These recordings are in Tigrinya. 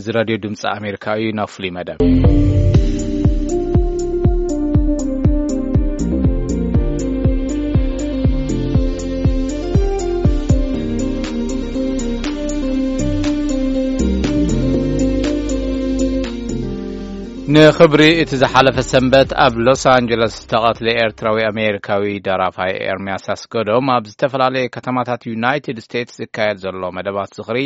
እዚ ራድዮ ድምፂ ኣሜሪካ እዩ። ናብ ፍሉይ መደብ። ንኽብሪ እቲ ዝሓለፈ ሰንበት ኣብ ሎስ ኣንጀለስ ዝተቐትለ ኤርትራዊ ኣሜሪካዊ ደራፋይ ኤርምያስ ኣስገዶም ኣብ ዝተፈላለየ ከተማታት ዩናይትድ ስቴትስ ዝካየድ ዘሎ መደባት ዝኽሪ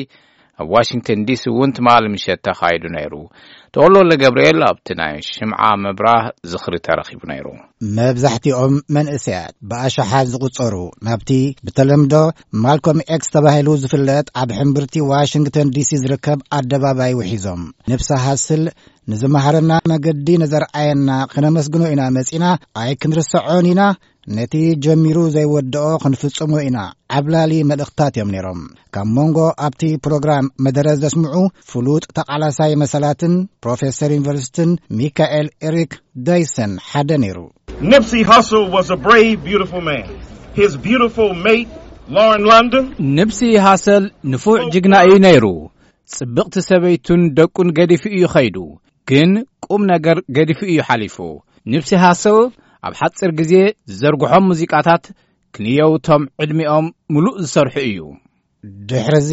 ኣብ ዋሽንግተን ዲሲ እውን ትማሊ ምሸት ተኻይዱ ነይሩ። ተወልደ ገብርኤል ኣብቲ ናይ ሽምዓ ምብራህ ዝኽሪ ተረኺቡ ነይሩ። መብዛሕትኦም መንእሰያት ብኣሽሓት ዝቑጸሩ ናብቲ ብተለምዶ ማልኮም ኤክስ ተባሂሉ ዝፍለጥ ኣብ ሕምብርቲ ዋሽንግተን ዲሲ ዝርከብ ኣደባባይ ውሒዞም፣ ንብሲ ሃስል ንዝመሃረና መገዲ ንዘርኣየና ክነመስግኖ ኢና መጺና፣ ኣይክንርስዖን ኢና፣ ነቲ ጀሚሩ ዘይወድኦ ክንፍጽሞ ኢና፣ ዓብላሊ መልእኽታት እዮም ነይሮም። ካብ መንጎ ኣብቲ ፕሮግራም መደረ ዘስምዑ ፍሉጥ ተቓላሳይ መሰላትን ፕሮፌሰር ዩኒቨርሲቲን ሚካኤል ኤሪክ ዳይሰን ሓደ ነይሩ። Nipsey Hussle was a brave, beautiful man. His beautiful mate, Lauren London, ንብሲ ሃሰል ንፉዕ ጅግና እዩ ነይሩ። ጽብቕቲ ሰበይቱን ደቁን ገዲፉ እዩ ኸይዱ። ግን ቁም ነገር ገዲፉ እዩ ሓሊፉ። ንብሲ ሃሰል ኣብ ሓጺር ግዜ ዝዘርግሖም ሙዚቃታት ክንየው እቶም ዕድሚኦም ምሉእ ዝሰርሑ እዩ። ድሕርዚ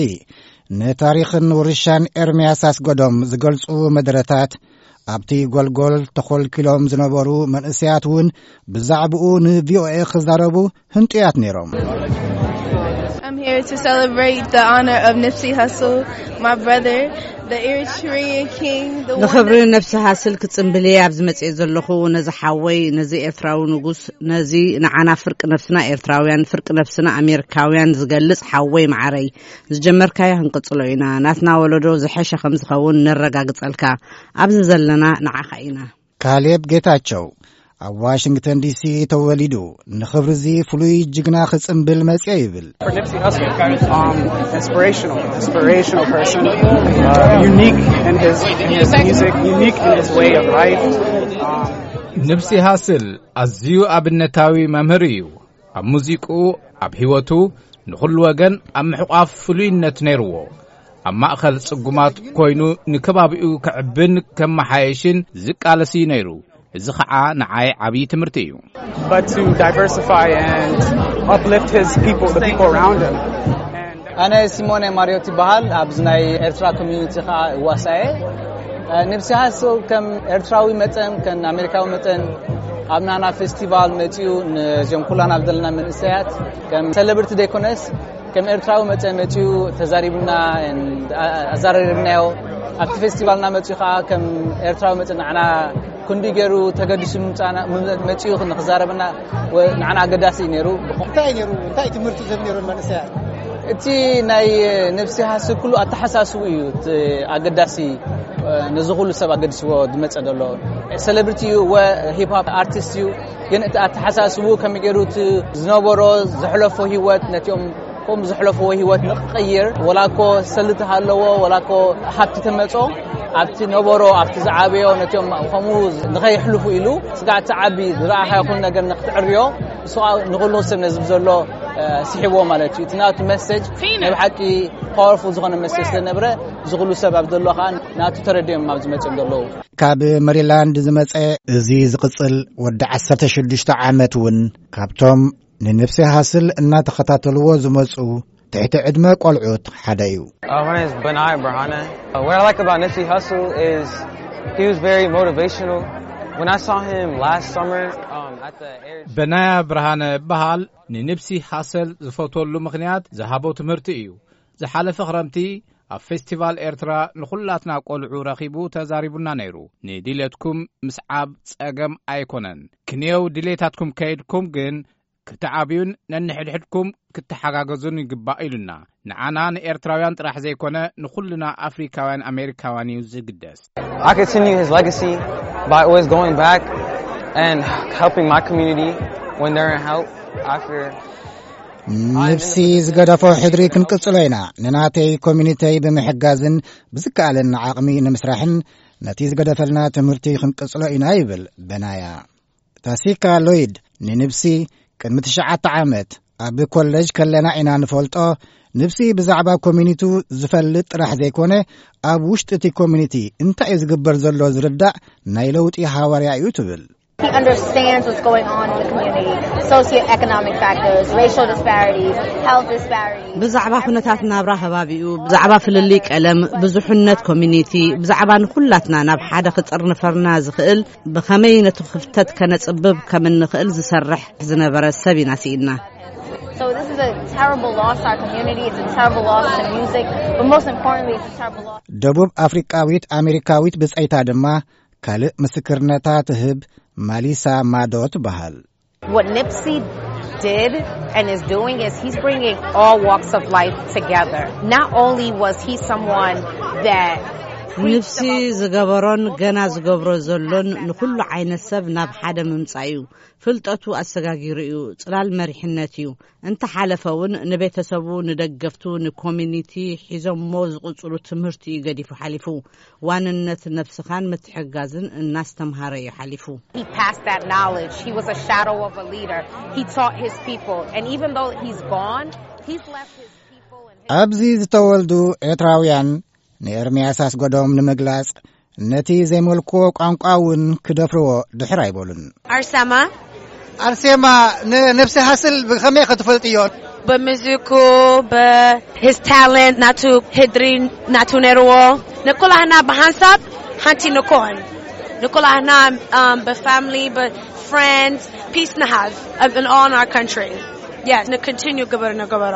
ንታሪኽን ውርሻን ኤርምያስ ኣስገዶም ዝገልጹ መደረታት ኣብቲ ጎልጎል ተኾልኪሎም ዝነበሩ መንእሰያት እውን ብዛዕባኡ ንቪኦኤ ክዛረቡ ህንጡያት ነይሮም። I'm here to celebrate the honor of Nipsey Hussle, my brother, the Eritrean king, the one ንኽብሪ that ነብሲ ሃስል ክጽምብል እየ ኣብዚ መጽኤ ዘለኹ። ነዚ ሓወይ፣ ነዚ ኤርትራዊ ንጉስ፣ ነዚ ንዓና ፍርቂ ነብስና ኤርትራውያን፣ ፍርቂ ነብስና ኣሜሪካውያን ዝገልጽ ሓወይ መዓረይ፣ ዝጀመርካዮ ክንቅጽሎ ኢና። ናትና ወለዶ ዝሐሸ ከም ዝኸውን ነረጋግጸልካ። ኣብዚ ዘለና ንዓኻ ኢና። ካሌብ ጌታቸው ኣብ ዋሽንግተን ዲሲ ተወሊዱ፣ ንኽብሪ እዚ ፍሉይ ጅግና ክጽምብል መጽየ ይብል። For Nipsey Hussle, um, inspirational, inspirational person, uh, unique in his, in his music, unique in his way of life. Um, ንብሲ ሃስል ኣዝዩ ኣብነታዊ መምህር እዩ። ኣብ ሙዚቅኡ፣ ኣብ ህይወቱ ንኹሉ ወገን ኣብ ምሕቋፍ ፍሉይነት ነይርዎ። ኣብ ማእኸል ጽጉማት ኮይኑ ንከባቢኡ ከዕብን ከመሓየሽን ዝቃለስ እዩ ነይሩ። እዚ ኸዓ ንዓይ ዓብዪ ትምህርቲ እዩ። but to diversify and uplift his people, the people around him. And ኣነ ሲሞኔ ማሪዮት ይበሃል። ኣብዚ ናይ ኤርትራ ኮሚዩኒቲ ከዓ እዋሳየ። ንብሲ ሃስል ከም ኤርትራዊ መጠን ከም ኣሜሪካዊ መጠን ኣብ ናና ፌስቲቫል መፂኡ ነዞም ኩላና ዘለና መንእሰያት ከም ሴሌብሪቲ ዘይኮነስ ከም ኤርትራዊ መጠን መፂኡ ተዛሪቡና፣ ኣዛረሪብናዮ። ኣብቲ ፌስቲቫልና መፂኡ ከዓ ከም ኤርትራዊ መጠን ንዓና ክንዲ ገይሩ ተገዲሱ ምምፃና መፂኡ ንክዛረበና ንዓና ኣገዳሲ እዩ ነይሩ። እንታይ ነይሩ እንታይ ትምህርቲ ዝህብ ነይሩ መንእሰያት? እቲ ናይ ነብሲ ሃሲ ኩሉ ኣተሓሳስቡ እዩ እቲ ኣገዳሲ። ነዚ ኩሉ ሰብ ኣገዲስዎ ዝመፀ ዘሎ ሴሌብሪቲ እዩ ወ ሂፕ ሆፕ ኣርቲስት እዩ። ግን እቲ ኣተሓሳስቡ ከመይ ገይሩ እቲ ዝነበሮ ዘሕለፎ ህይወት ነቲኦም ከምኡ ዘሕለፍዎ ህይወት ንክቕይር፣ ወላ እኮ ሰልቲ ሃለዎ፣ ወላ እኮ ሃብቲ ተመጾ፣ ኣብቲ ነበሮ ኣብቲ ዝዓበዮ ነቲኦም ከምኡ ንኸይሕልፉ ኢሉ ስጋዕ እቲ ዓቢ ዝረኣኻዮ ኩሉ ነገር ንክትዕርዮ ንሱ ንኹሉ ሰብ ነዚ ዘሎ ስሒብዎ ማለት እዩ። እቲ ናቱ መሰጅ ናይ ብሓቂ ፓወርፉል ዝኾነ መሰጅ ስለነበረ እዚ ኩሉ ሰብ ኣብ ዘሎ ከዓ ናቱ ተረዲኦም ኣብ ዝመፅኦም ዘለዉ። ካብ መሪላንድ ዝመጸ እዚ ዝቕጽል ወዲ ዓሰርተ ሽዱሽተ ዓመት እውን ካብቶም ንንብሲ ሃስል እናተኸታተልዎ ዝመጹ ትሕቲ ዕድመ ቆልዑት ሓደ እዩ። Uh, my name is Benai Barhana. Uh, what I like about Nipsey Hussle is he was very motivational. When I saw him last summer um, at the Air በናያ ብርሃነ እበሃል። ንንብሲ ሃሰል ዝፈትወሉ ምኽንያት ዝሃቦ ትምህርቲ እዩ። ዝሓለፈ ክረምቲ ኣብ ፌስቲቫል ኤርትራ ንኹላትና ቆልዑ ረኺቡ ተዛሪቡና ነይሩ። ንድልየትኩም ምስዓብ ጸገም ኣይኮነን። ክንየው ድሌታትኩም ከይድኩም ግን ክትዓብዩን ነንሕድሕድኩም ክትሓጋገዙን ይግባእ ኢሉና። ንዓና ንኤርትራውያን ጥራሕ ዘይኮነ ንኹልና ኣፍሪካውያን ኣሜሪካውያን እዩ ዝግደስ። I continue his legacy by always going back and helping my community when they're in help after ንብሲ ዝገደፎ ሕድሪ ክንቅጽሎ ኢና። ንናተይ ኮሚኒተይ ብምሕጋዝን ብዝከኣለና ዓቕሚ ንምስራሕን ነቲ ዝገደፈልና ትምህርቲ ክንቅጽሎ ኢና ይብል በናያ። ታሲካ ሎይድ ንንብሲ ቅድሚ ትሽዓተ ዓመት ኣብ ኮለጅ ከለና ኢና ንፈልጦ፣ ንብሲ ብዛዕባ ኮሚኒቱ ዝፈልጥ ጥራሕ ዘይኮነ፣ ኣብ ውሽጢ እቲ ኮሚኒቲ እንታይ እዩ ዝግበር ዘሎ ዝርዳእ ናይ ለውጢ ሃዋርያ እዩ ትብል። He understands what's going on in the community, socioeconomic factors, racial disparities, health disparities. ብዛዕባ ኩነታት ናብራ ከባቢኡ፣ ብዛዕባ ፍልልይ ቀለም፣ ብዙሕነት ኮሚኒቲ፣ ብዛዕባ ንኹላትና ናብ ሓደ ክጥርንፈርና ዝኽእል ብኸመይ ነቲ ክፍተት ከነጽብብ ከም እንኽእል ዝሰርሕ ዝነበረ ሰብ ኢና ስኢና። So this is a terrible loss to our community. It's a terrible loss to music, but most importantly, it's a terrible loss. ደቡብ ኣፍሪቃዊት ኣሜሪካዊት ብጸይታ ድማ ካልእ ምስክርነታ ትህብ ማሊሳ ማዶ ትበሃል። What Nipsey did and is doing is he's bringing all walks of life together. Not only was he someone that ንብሲ ዝገበሮን ገና ዝገብሮ ዘሎን ንኹሉ ዓይነት ሰብ ናብ ሓደ ምምጻእ እዩ። ፍልጠቱ ኣሰጋጊሩ እዩ። ጽላል መሪሕነት እዩ። እንተሓለፈ እውን ንቤተሰቡ፣ ንደገፍቱ፣ ንኮሚኒቲ ሒዞሞ ዝቕጽሉ ትምህርቲ እዩ ገዲፉ ሓሊፉ። ዋንነት ነብስኻን ምትሕጋዝን እናስተምሃረ እዩ ሓሊፉ። He passed that knowledge. He was a shadow of a leader. He taught his people. And even though he's gone, he's left his people and his ኣብዚ ዝተወልዱ ኤርትራውያን ንኤርምያስ ኣስገዶም ንምግላጽ ነቲ ዘይመልክዎ ቋንቋ እውን ክደፍርዎ ድሕር ኣይበሉን። Arsema. ኣርሴማ፣ ንነብሲ ሃስል ብኸመይ ኢኸ ትፈልጥዮ? በምዝኩ፣ በ his talent ናቱ፣ ህድሪ ናቱ ነርዎ። ንኩላህና ብሓንሳብ ሓንቲ ንኮን። ንኩላህና፣ um, በ family፣ በ friends, peace ንሃብ in all our country. Yes, ን continue ግበር ንገበሮ።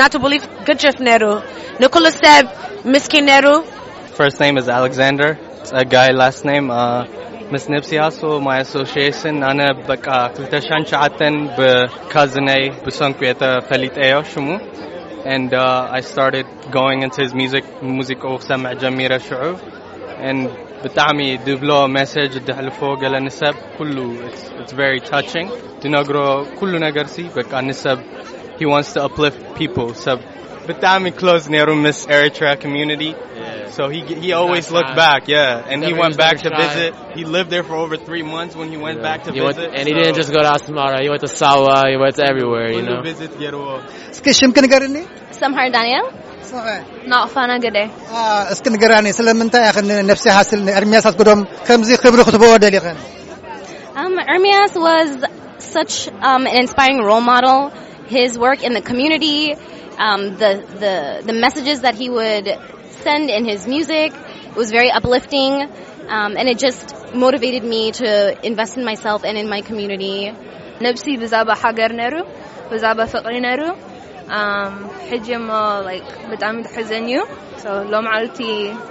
ናቱ belief ግጅፍ ነሩ። ንኩሉ ሰብ ምስኪን ነሩ። First name is Alexander Tseggai, last name, uh, ምስ ነብሲ ሃስል my association ኣነ በቃ ክልተ ሺሕን ትሽዓተን ብካዝነይ ብሰንኩ እየ ተፈሊጠዮ ሽሙ። And, uh, I started going into his music. ሙዚቃኡ ክሰምዕ ጀሚረ ሽዑ። And ብጣዕሚ ድብሎ message ድሕልፎ ገለ ንሰብ ኩሉ it's, it's very touching። ድነግሮ ኩሉ ነገር ሲ በቃ ንሰብ he wants to uplift people። ሰብ ብጣዕሚ close ነሩ ምስ Eritrea community። So he he always looked back, yeah, and he went back to visit. He lived there for over three months when he went back to visit. And he didn't just go to Asmara. He went to Sawa. He went to everywhere, you know. Visit ገርዎ። እስኪ ሽምኪ ንገርኒ። Samhar Daniel. ስኸ ናቕፋና ገደ። እስኪ ንገራኒ፣ ስለምንታይ ኢኽን ነብሲ ሃስል ንኤርምያስ ኣስገዶም ከምዚ ክብሪ ክትበዎ ደሊኽን? Um, Ermias was such, um, an inspiring role model. His work in the community, um, the, the, the messages that he would send in his music, it was very uplifting, um, and it just motivated me to invest in myself and in my community. ነብሲ ብዛባ ሃገር ነሩ፣ ብዛባ ፍቕሪ ነሩ። Um, ሕጂ እሞ like ብጣዕሚ ተሕዘን እዩ። So ሎም ዓልቲ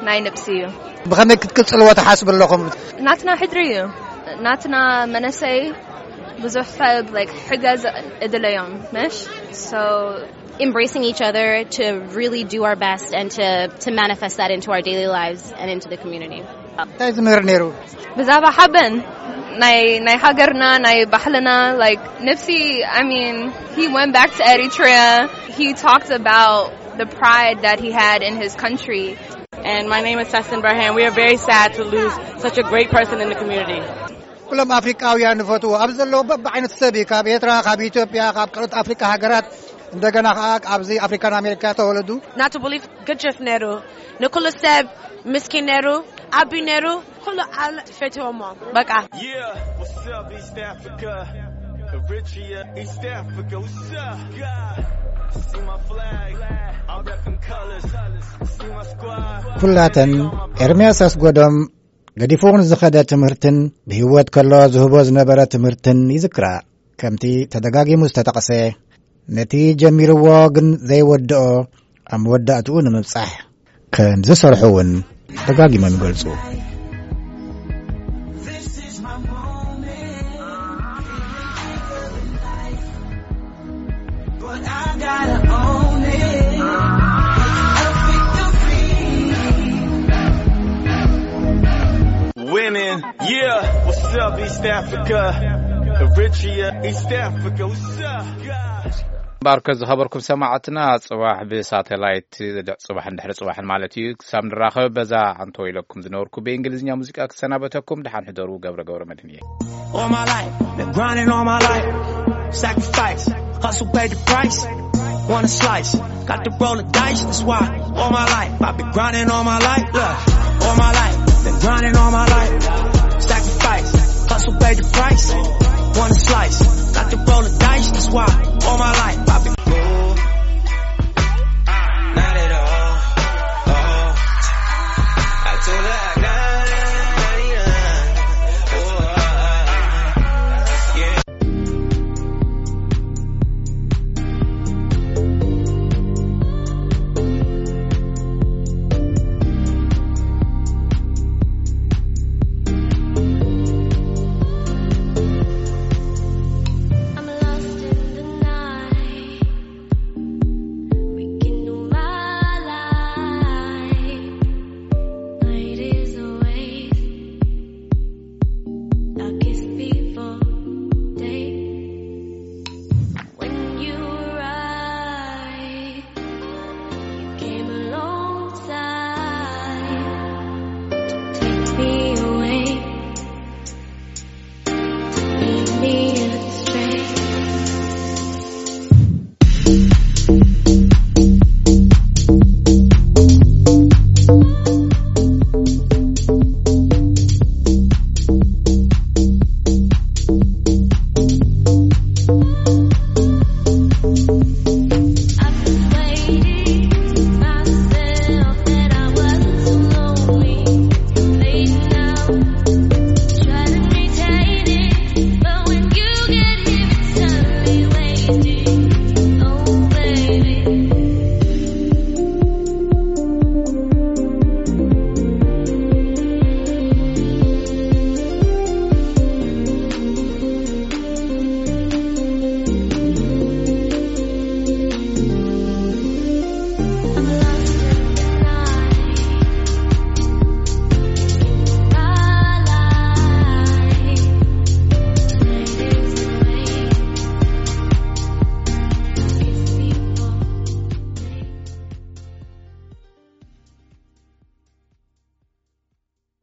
ናይ ነብሲ እዩ። ብኸመይ ክትቅጽልዎ ትሓስቡ ኣለኹም? ናትና ሕድሪ እዩ። ናትና መነሰይ ብዙሕ ሰብ like ሕገዝ እድለዮም መሽ። So embracing each other to really do our best and to, to manifest that into our daily lives and into the community. እንታይ ዝምህር ነይሩ? ብዛባ ሓበን ናይ ናይ ሃገርና ናይ ባህልና like ነብሲ። I mean, he went back to Eritrea. He talked about the pride that he had in his country. And my name is Sassin Barhan. We are very sad to lose such a great person in the community. ኩሎም ኣፍሪቃውያን ንፈትዎ ኣብ ዘለዉ በብዓይነቱ ሰብ እዩ። ካብ ኤርትራ፣ ካብ ኢትዮጵያ፣ ካብ ካልኦት ኣፍሪቃ ሃገራት፣ እንደገና ከዓ ኣብዚ ኣፍሪካን ኣሜሪካ ተወለዱ። ናቱ belief ግጅፍ ነሩ። ንኩሉ ሰብ ምስኪን ነሩ፣ ዓቢ ነሩ። ኩሉ ዓለም ፈትዎሞ በቃ። Yeah, what's up, East Africa? Eritrea, East Africa, what's up? God, see my flag, I rep them colors. See my squad. ኩላተን ኤርምያስ ኣስጎዶም ገዲፉ ንዝኸደ ትምህርትን ብህይወት ከሎ ዝህቦ ዝነበረ ትምህርትን ይዝክራ። ከምቲ ተደጋጊሙ ዝተጠቕሰ፣ ነቲ ጀሚርዎ ግን ዘይወድኦ ኣብ መወዳእትኡ ንምብጻሕ ከም ዝሰርሑ እውን ደጋጊሞም ይገልጹ። Winning, yeah. What's up, East Africa? Eritrea, East Africa, what's up? ባርከ ዝኸበርኩም ሰማዕትና፣ ጽባሕ ብሳተላይት ጽባሕን ድሕሪ ጽባሕን ማለት እዩ ክሳብ ንራኸብ፣ በዛ ኣንቶ ኢለኩም ዝነበርኩ ብእንግሊዝኛ ሙዚቃ ክሰናበተኩም። ደሓን ሕደሩ። ገብረ ገብረ መድህን እየ። All my life, been grinding all my life. Sacrifice, hustle, pay the price. Wanna slice, got to roll the dice, that's why all my life I've been grinding all my life, look, all my life, been grinding all my life, sacrifice, hustle, pay the price, wanna slice, got to roll the dice, that's why all my life